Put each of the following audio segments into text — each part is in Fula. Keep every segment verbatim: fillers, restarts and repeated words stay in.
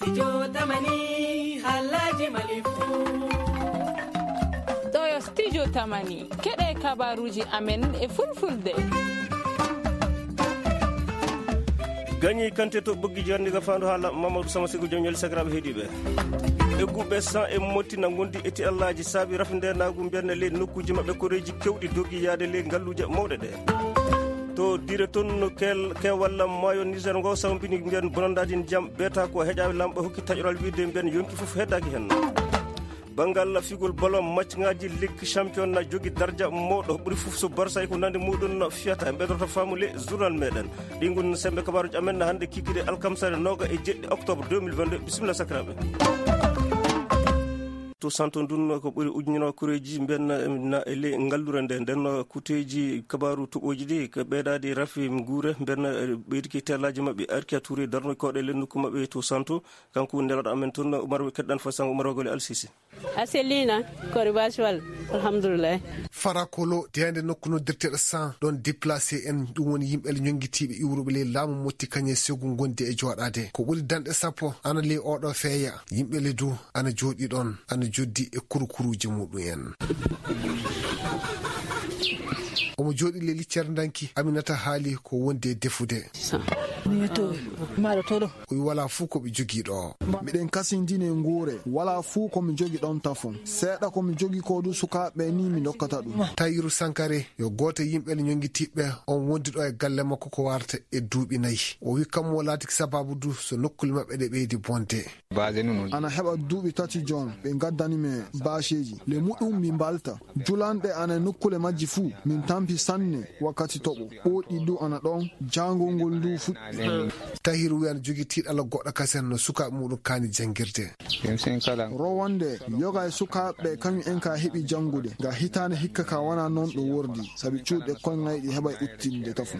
Studio Tamani, haalaaji Mali fuu. Ɗo yo Studio Tamani, keɗe kabaruuji amen e fulfulde. Gañi kante to ɓoggi jarni ga faandu haala Mamadou Sama Sigo joom ñaali sakiraaɓe heediiɓe. Egguɓe san e motti na ngondi e ti Allaaji saabi rafi ndenaagu mbiyan ley nokkuuji maɓɓe koreeji kewɗi dogi yaade ley ngalluuje mawɗe ɗe. To dire toon no kel-, keewal maayo Niger ngo sawmbini mbiyan bonandaadi ndiyam beeta ko heƴaaɓe lamɓe hokki taƴoral wiide mbiyan yonki fof heddaaki heen. Banngal figol ballon, matchŋaaji Ligue Champion na jogi darja mawɗo ɓuri fof so Barça e ko nandi muɗum fiyata. Ɓeydorto faamu le journal meɗen. Ɗi ngon sembe kabaruuji amen na hannde kikiɗe alkamsare nooga e jeɗɗi octobre deux mille vingt-deux. Bisimilla sakiraaɓe. To Santo ndun ko ɓuri ujunere koreeji mbiyan na e le ngallure nde. Nden kuteeji kabaru toɓooji ɗi ko ɓeydaade rafi nguure mbiyan ɓeydiki teelaaji maɓɓe. Arki a Touré darno koɗe le nokku maɓɓe to Santo. Kanko nelaaɗo amen toon Umar, keddan fo sango Umar Wagole Alsisi. A selliina, ko ribaasi walla? Alhamdulillah. Farakolo, deende nokku noddirteeɗo San, ɗon déplacé en, ɗum woni yimɓe le ñonngitiiɓe iwruɓe ley laamu motti kañe segu ngondi e jooɗaade. Ko ɓuri danɗe sappo ana ley oɗo feeya. Yimɓe le du ana jooɗi ɗon, ana joddi e kurukuruuje muɗum en. Omo jooɗi ley liccere ndanki, Aminata haali ko wondi e defude. Sa. Ni to, maɗo to ɗo. O wi walaa fuu ko ɓe jogii ɗo. Miɗen kasindini e nguure, walaa fuu ko mi jogi ɗon tafon. Seeɗa ko mi jogi ko du sukaaɓe ni mi dokkata ɗum. Tayiru Sankare, yo gooto e yimɓe le ñonngitiiɓe, on wondi ɗo e galle makko ko warata e duuɓi nayi. O wi kammu o laatiki sababu du so nokkule maɓɓe ɗe ɓeydi bonde. Ana heɓa duuɓi tati jon, ɓe ngaddani mi baaseeji. Le muɗum mi mbalta. Julanɗe ana e nokkule majji fuu, min tampi sanne wakkati toɓo. Ɓooɗi du ana ɗon, jaangol ngol du fuɗɗi. Tahiru wiyan jogii tiiɗalla goɗɗo kasen no sukaaɓe muɗum kaani janngirde. Rowande, yoga e sukaaɓe kañum en ka heɓi janngude. Nga hitaande hikka ka wana non ɗo wordi, sabi cuuɗi koyŋayɗi heɓay uttinde tafo.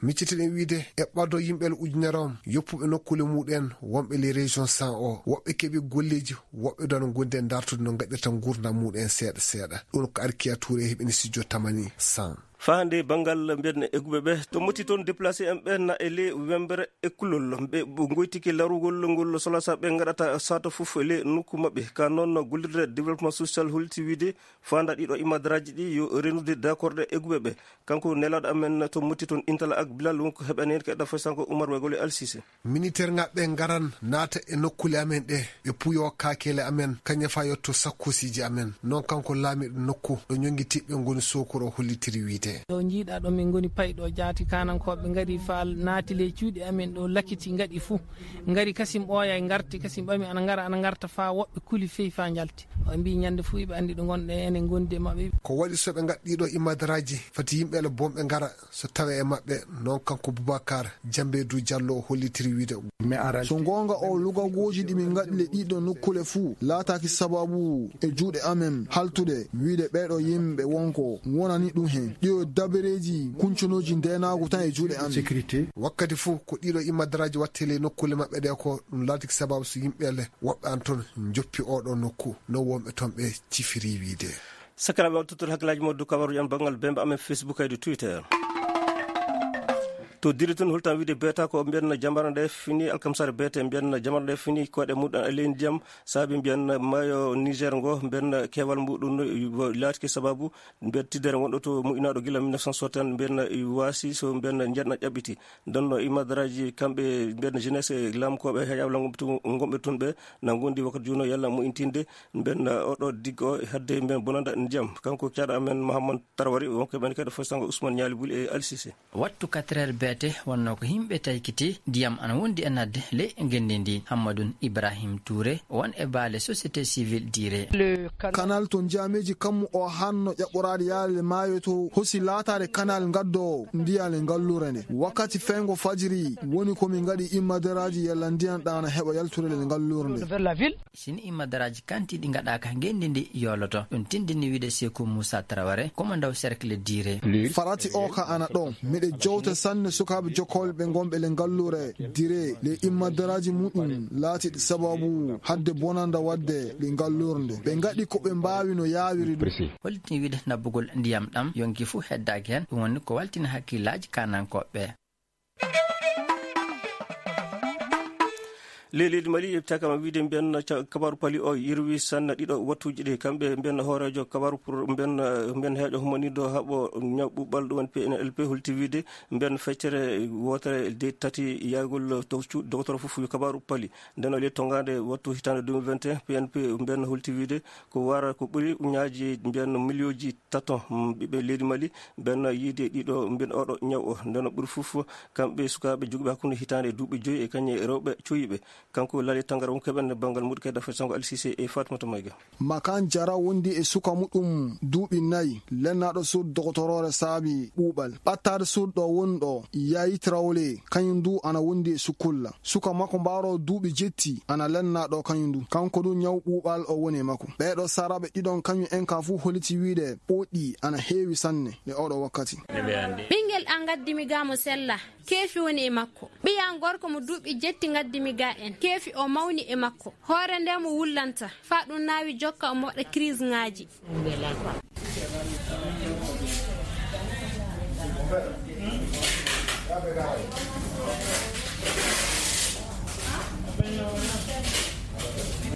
Miccitiɗen wiide, e ɓado yimɓe le ujunere on, yoppuɓe nokkule muɗum en, wonɓe les régions san o, woɓɓe keɓi golleeji, woɓɓe du ana ngondi e dartude no ngaɗirta nguurndam muɗum en seeɗa seeɗa. Ɗum ko Arkiya Touré heɓini studio Tamani san. Faa hannde banngal mbiyen egguɓe ɓe, to motti toon déplacé en ɓe na e ley wembere e kulol. Ɓe, ɓe ngoytike larugol ngol solasa ɓe ngaɗata sato fof e ley nokku maɓɓe. Ka noon gollirde développement social holliti wiide faanda ɗiɗo imadaraaji ɗi yo renude dakorɗe egguɓe ɓe. Kanko nelaaɗo amen to motti toon Intala ak Bilal wonko heɓani en keɗɗa fay sanko Umar Wegole Alsise. Miniteer ŋaaɓe ɓe ngaran naata e nokkuule amen ɗe, ɓe puyo kaakele amen, kañe faa yotto sakkoosiiji amen. Noon kanko laamiiɗo nokku ɗo ñonngitiiɓe ngoni Sokoro hollitiri wiide. Ɗo njiiɗaa ɗo min ngoni payɗo jaati kaanankooɓe ngari faa naati ley cuuɗi amen ɗo lakiti ngaɗi fuu. Ngari kasim ɓooya e ngarti, kasim ɓami ana ngara, ana ngarta faa woɓɓe kuli fey faa njalti. O mbii ñande fuu iɓe anndi ɗo ngonɗen enen ngondi e maɓɓe. Ko waɗi so ɓe ngaɗ ɗiɗo imadaraaji, fati yimɓe ele bonɓe ngara so tawe e maɓɓe, noon kanko Boubacar Jambeedu Jallo o hollitiri wiide. So goonga o lugagooji ɗi min ngaɗi le ɗiɗo nokkule fuu laataaki sababu e juuɗe amen haltude wiide ɓeeɗo yimɓe wonko wonani ɗum heen. Ɗiyo dabareeji kunconooji ndeenaagu tan e juuɗe amen. Wakkati fuu ko ɗiɗo imadaraaji watte le nokkule maɓɓe ɗe ko ɗum laatiki sababu so yimɓe ele woɓɓe an toon njoppi oɗo nokku no wonɓe toon ɓe cifiri wiide. Sakiraaɓe, on tottori hakkillaaji mon dow kabaruuji am banngal bembe amen Facebook e dow Twitter. To dire tun holtan wiide beeta ko mbiyan jamara nde fini alkamsare beete mbiyan jamara nde fini koɗe muɗum e ley ndiyam saabi mbiyan maayo Niger ngo mbiyan keewal muɗum no laatiki sababu mbiyan tiddere wonɗo to moƴƴinaaɗo gila mille neuf cent soixante mbiyan waasi so mbiyan njeɗna ƴaɓɓiti. Nden no imadaraaji kamɓe mbiyan jeunesse e laamkooɓe heƴaaɓe lango to ngonɓe toon ɓe na ngondi wakkati juuno yalla moƴƴintinde mbiyan oɗo diggo hadde mbiyan bonanda ndiyam. Kanko caɗa amen Mahamman Tarwari wonko ɓen kadi fof sango Ousmane Ñaali Buli e Alsise. Wattu quatre heures beete wonno ko yimɓe taykiti ndiyam ana wondi e nadde ley ngenndi ndi. Hammadun Ibrahim Touré won e baale société civile dire. Kanal to njaameeji kammu o hanno ƴaɓɓoraade yaade maayo to hosi laataade kanal ngaddoowo ndiyam e ngalluure nde. Wakkati feyngo fajiri woni ko min ngaɗi immaderaaji yalla ndiyam ɗam ana heɓa yaltude le ngalluure nde. Sini immadaraaji kantiiɗi ngaɗaaka ngenndi ndi yooloto. Ɗum tindini wiide Seeku Muusa Taraware, komandaw cercle dire. Farati o ka ana ɗon. Miɗe jowta sanne sukaaɓe jokkolɓe ngonɓe le ngalluure dire le immadaraaji muɗum laatiɗi sababu hadde bonanda wadde le ngalluure nde. Ɓe ngaɗi ko ɓe mbaawi no yaawiri ɗum. Hollitini wiide nabbugol ndiyam ɗam yonki fuu heddaaki heen. Ɗum woni ko waltini hakkillaaji kaanankooɓe. Ley leydi Mali, e cakama wiide mbiyen ca-, kabaaru pali o yirwi sanne ɗiɗo wattuuji ɗi. Kamɓe mbiyen hooreejo kabaaru pour mbiyen, mbiyen heeƴo humaniiɗo haɓo ñaw ɓuuɓal ɗum woni P N L P holti wiide mbiyen feccere wootere de tati yaagol to cu-, dogotoro fof yo kabaaru pali. Nden o ley tongaande wattu hitaande deux mille vingt et un, P N P mbiyen holti wiide ko wara ko ɓuri uñaaji mbiyen miliyooji tato, mm, ɓiɓɓe leydi Mali, ɓen yiide ɗiɗo, mbiyen oɗo ñaw o. Nden o ɓuri fof kamɓe sukaaɓe jogiiɓe hakkunde hitaande e duuɓi joyi e kañe rewɓe coyiiɓe. Kanko Lali Tangara won keɓen banngal muɗum kadi Dafet Sango Alsise e Fatmata Mayga. Makan Jara wondi e suka muɗum duuɓi nayi, lennaaɗo suudu dogotoroore saabi ɓuuɓal. Ɓattaade suudu ɗo woni ɗo, Yayi Traoré, kañum du ana wondi e sukulla. Suka makko mbaaro duuɓi jetti, ana lennaaɗo kañum du. Kanko du ñaw ɓuuɓal o woni e makko. Ɓeeɗo saraaɓe ɗiɗon kañum en ka fuu holiti wiide ɓoɗɗi ana heewi sanne e oɗo wakkati. Ɓingel an ngaddimi ga mo sella, keefi woni e makko. Ɓiyan gorko mo duuɓi jetti ngaddimi ga en, keefi o mawni e makko. Hoore nde mo wullanta, faa ɗum naawi jokka o moɗa crise ŋaaji.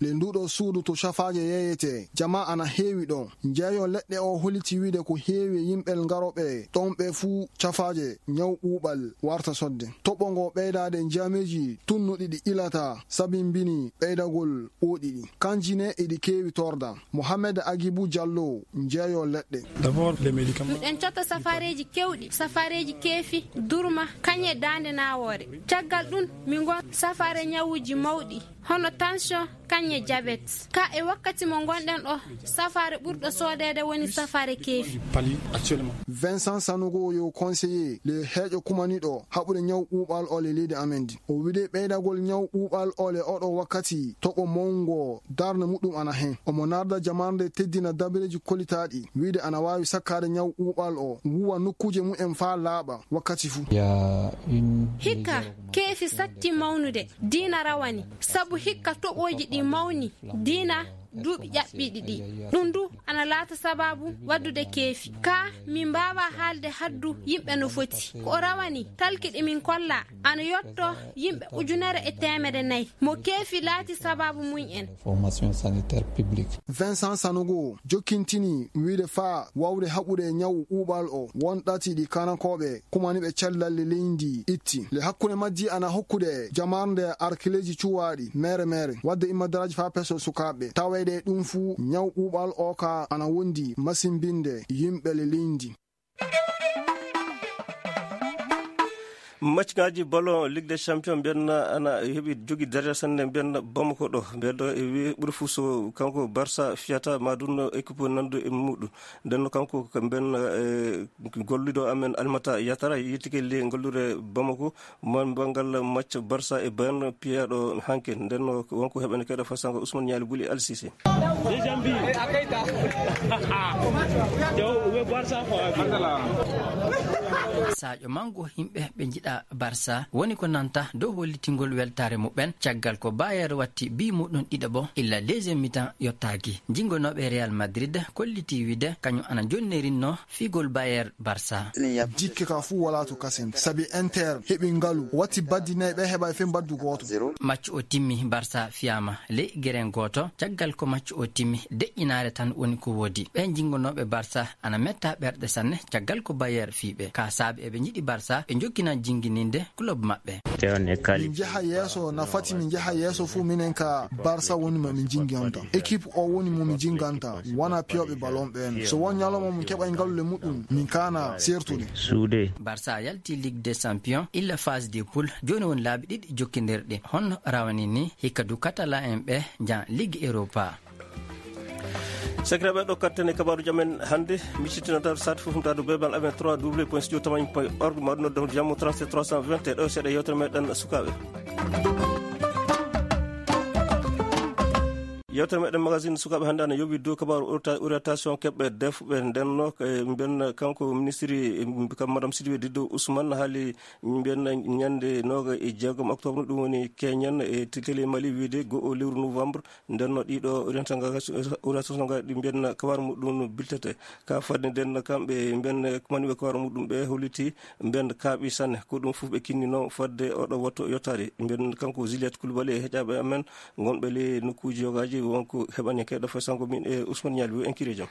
Le nduɗo suudu to cafaaje yeeyete, jama ana heewi ɗo. Njeeyo leɗɗe o holiti wiide ko heewi e yimɓe ngaroɓe ɗon ɓe fuu cafaaje ñaw ɓuuɓal warta sodde. Toɓo ngo ɓeydaade njaameeji tunnuɗi ɗi ilata sabimbini ɓeydagol ɓooɗi ɗi. Kanji ne eɗi keewi torda. Mohamed Agibu Jallo, njeeyo leɗɗe. D'abord, les médicaments. Miɗen cotta safaareeji kewɗi, safaareeji keefi, durma, kañe daande nawoore. Caggal ɗum, min ngon safaare ñawuuji mawɗi, hono tension, kañe jabet. Ka e wakkati mo ngonɗen ɗo, safaare ɓurɗo soodeede woni safaare keefi. Pali actuellement. Vincent Sanogo yo conseiller le heeƴo kumaniɗo haɓude ñaw ɓuuɓal o le leydi amen ndi. O wiide ɓeydagol ñaw ɓuuɓal o le oɗo wakkati toɓo mawngo darnde muɗum ana hen. Omo narda jamarnde teddina dabareeji kolitaaɗi, wiide ana waawi sakkaade ñaw ɓuuɓal o, wuwa nokkuuje mumen faa laaɓa wakkati fuu. Il y a une Hikka, keefi satti mawnude, diina rawani, sabu hikka toɓooji ɗi mawni, diina duuɓi ƴaɓɓiiɗi ɗi. Ɗum du ana laata sabaabu waddude keefi. Ka min mbaawa haalde haddu yimɓe no foti. Ko o rawani, talki ɗi min kolla, ana yotto yimɓe ujunere e teemedde nayi. Mo keefi laati sabaabu mum en. Information sanitaire publique. Vincent Sanogo jokkintini wiide faa wawde haɓude ñaw ɓuuɓal o, won ɗati ɗi kanakooɓe kumaniiɓe cellal leydi itti. Le hakkunde majji ana hokkude jamarnde arkileeji cuwaaɗi mere mere, wadde immadaraaji faa peso sukaaɓe. Taweede ɗum fuu ñaw ɓuuɓal o ka ana wondi masimbinde yimɓe le leydi. Match ngaji ballon Ligue des Champions mbiyen ana heɓi jogi daraja sanne mbiyen Bamako ɗo. Mbiyen ɗo e wi ɓuri fuu so kanko Barça fiyata ma ɗum no équipe nandu e muɗum. Nden no kanko ko mbiyen, eh, gollido amen Almata Yatara yettike le ngollude Bamako man bangal match Barça e Bayern piyaɗo hanke. Nden no wonko heɓen kede fasango Ousmane Nialy Bouli Al Cissé. Sadio Mango, yimɓe ɓe njiɗa Barça woni ko nanta dow hollitingol weltaare muɓɓen caggal ko Bayer watti bi muɗum ɗiɗaɓo illa deuxième mi-temps yottaaki. Jingonooɓe Real Madrid kolliti wiide kañum ana jonnerinno figol Bayer Barça. Jikke ka fuu wala to kasen, sabi Inter heɓi ngalu, watti baddi nayi, ɓe heɓa e fen baddu gooto. Match o timmi, Barça fiyama ley geren gooto. Caggal ko match o timmi, deƴƴinaare tan woni ko woodi. Ɓe jingonooɓe Barça ana metta ɓerɗe sanne, caggal ko Bayer fiiɓe. Ka saabi eɓe njiɗi Barça, ɓe jokkina jingininde club maɓɓe. Min njaha yeeso, na fati min njaha yeeso fuu minen ka Barça woni mo min jinganta. Équipe o woni mo min jinganta, wona piyooɓe ballon ɓen. So won ñalawma min keɓay ngalu le muɗum, min kaana sertude. Barça yalti Ligue des Champions, illa phase de poule, jooni woni laabi ɗiɗi jokkindirɗi. Honno rawani ni? Hikka du Catalan en ɓe njan Ligue Europa. Sakiraaɓe, ɗo katten e kabaaruuji amen hannde, mi cittinata sati fof humtaade bebal amen trois w point studio tamani point org, ma ɗum nodde jammo trente-sept trois cent vingt, ɗo seeɗa yewtere meɗen sukaaɓe. Yewtere meɗen magazine sukaaɓe hannde ana yowi dow kabaaru orienta-, orientation keɓɓe defɓe ndenno, e mbiyen kanko ministre, e kam madame Sidibé Dido Ousmane haali mbiyen ñande nooga e jeegom octobre, ɗum woni keñen e télé Mali wiide go o lewru novembre, ndenno ɗiɗo orientation ngaji ɗi mbiyen kabaaru muɗum biltete. Ka fadde nden kamɓe mbiyen maniɓe kabaaru muɗum ɓe holliti mbiyen kaaɓi sanne, ko ɗum fof ɓe kinnino fadde oɗo wattu yottaade. Mbiyen kanko Juliette Coulibaly e heƴaaɓe amen, ngonɓe ley nokkuuji yogaaji, wonko heɓani kayɗo fay sango min e Ousmane Nialy, wi en kiri jam.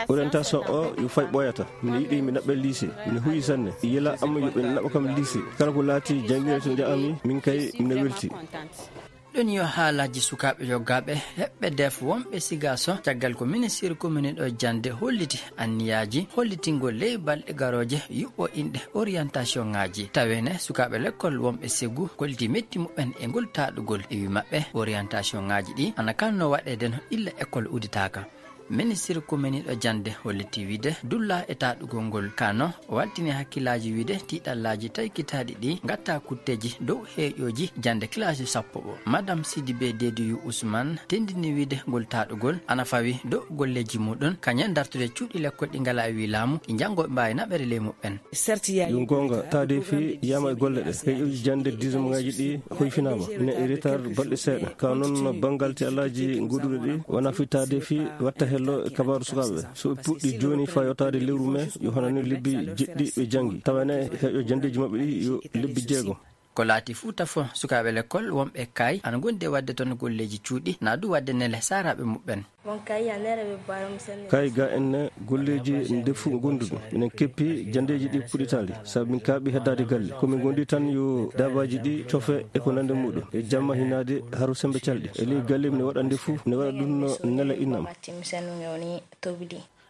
Orientation o yo fay ɓooyata. Miɗo yiɗi mi naɓɓe lycée. Miɗo huyi sanne. Yela amma yo ɓe naɓɓa kam lycée. Kala ko laati janngirde to njaami, min kay miɗo welti. Ɗum yo haalaaji sukaaɓe yoggaaɓe heɓɓe def wonɓe Sigaso, caggal ko ministre commune ɗo jannde holliti anniyaaji hollitingol ley balɗe garooje yuɓɓo inɗe orientation ŋaaji. Tawene sukaaɓe lekkol wonɓe Segu kolliti metti muɓɓen e ngol taaɗugol. E wi maɓɓe, orientation ŋaaji ɗi ana kanno waɗeede no illa école udditaaka. Ministir kominiiɗo jannde holliti wiide dulla e taaɗugol ngol kano, waltini hakkillaaji wiide tiiɗallaaji taykitaaɗi ɗi ngatta kutteeji dow heeƴooji jannde classe sappo o. Madame Sidibé Dediyou Ousmane tendini wiide ngol taaɗugol ana fawi dow golleeji muɗum, kañum dartude cuuɗi lekkol ɗi ngalaa e wii laamu, ɗi njanngooɓe mbaawi naɓere ley muɓɓen. Yo goonga, taadeefi yiyama e golle ɗe. Heeƴooji jannde dixième ŋaaji ɗi hoyfinaama, ne e retard balɗe seeɗa. Ka noon, banngal tiiɗallaaji goduɗo ɗi, wona fii taadeefi watta hello e kabaaru sukaaɓe ɓe. So ɓe puɗɗi jooni faa yottaade lewru mee, yo hono ni lebbi jeɗɗi ɓe janngi. Tawa ne heeƴo janndeeji maɓɓe ɗi yo lebbi jeegom. Ko laati Fuuta fof, sukaaɓe lekkol wonɓe kay ana ngondi e waɗde toon golleeji cuuɗi, naa du waɗde nele saaraaɓe muɓɓen. Kay ga en ne golleeji ndefu ngonduɗo. Minen keppi janndeeji ɗi puɗɗitaali, sabu min kaaɓi heddaade galle. Ko min ngondi tan yo daabaaji ɗi cofe e ko nande muɗum. E jamma hinaade haro sembe calɗi. E ley galle mine waɗa ndefu, mine waɗa ɗum no nela innam.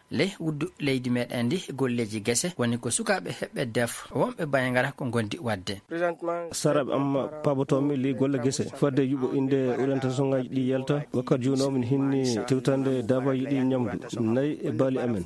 Ley wuddu leydi meɗen ndi, golleeji gese woni ko sukaaɓe heɓɓe def wonɓe Bayangara ko ngondi waɗde. Saaraaɓe am paabotoomi ley golle gese. Fadde yuɓɓo innde orientation ŋaaji ɗi yalta, wakkati jooni o min hinni tewtande daabaaji ɗi ñamdu, nayi e baali amen.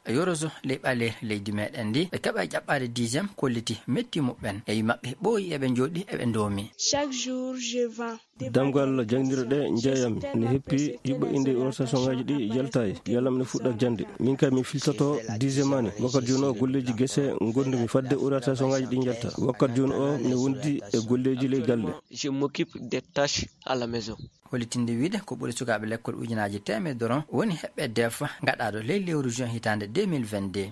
Yoroso ley ɓaleeri leydi meɗen ndi, ɓe keɓa ƴaɓɓaade dixième kolliti metti muɓɓen. E wi maɓɓe ɓooyi eɓe njooɗi eɓe ndoomi. Chaque jour, je vends. Damgal jannginirɗe ɗe njeeyami ne heppi yuɓɓo innde orientation ŋaaji ɗi yaltaay. Yalla mine fuɗɗa jannde. Min kay mi filtoto dixième année. Wakkati jooni o golleeji gese ngondumi fadde orientation ŋaaji ɗi njalta. Wakkati jooni o mine wondi e golleeji ley galle. Je m'occupe des tâches à la maison. Hollitinde wiide ko ɓuri sukaaɓe lekkol ujunaaji teemedere woni heɓɓe def ngaɗaaɗo ley lewru juin hitaande deux mille vingt-deux.